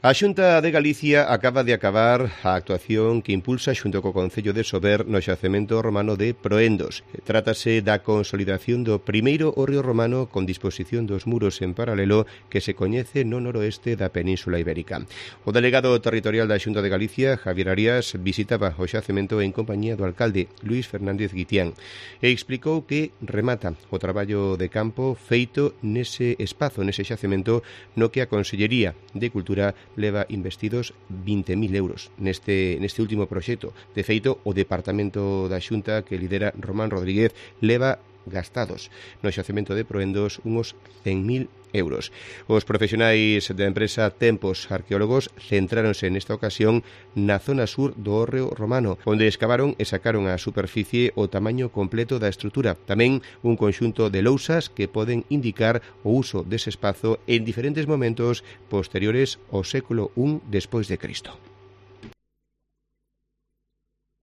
A Xunta de Galicia acaba de acabar a actuación que impulsa xunto co Concello de Sober no xacemento romano de Proendos. Trátase da consolidación do primeiro hórreo romano con disposición dos muros en paralelo que se coñece no noroeste da Península Ibérica. O delegado territorial da Xunta de Galicia, Javier Arias, visitaba o xacemento en compañía do alcalde Luís Fernández Guitián e explicou que remata o traballo de campo feito nese espazo, nese xacemento, no que a Consellería de Cultura leva investidos 20.000 euros neste último proxecto. De feito, o Departamento da Xunta que lidera Román Rodríguez leva gastados no xacemento de Proendos unos 100.000 euros. Os profesionais da empresa Tempos Arqueólogos centráronse nesta ocasión na zona sur do hórreo romano, onde escavaron e sacaron á superficie o tamaño completo da estrutura. Tamén un conxunto de lousas que poden indicar o uso dese espazo en diferentes momentos posteriores ao século I despois de Cristo.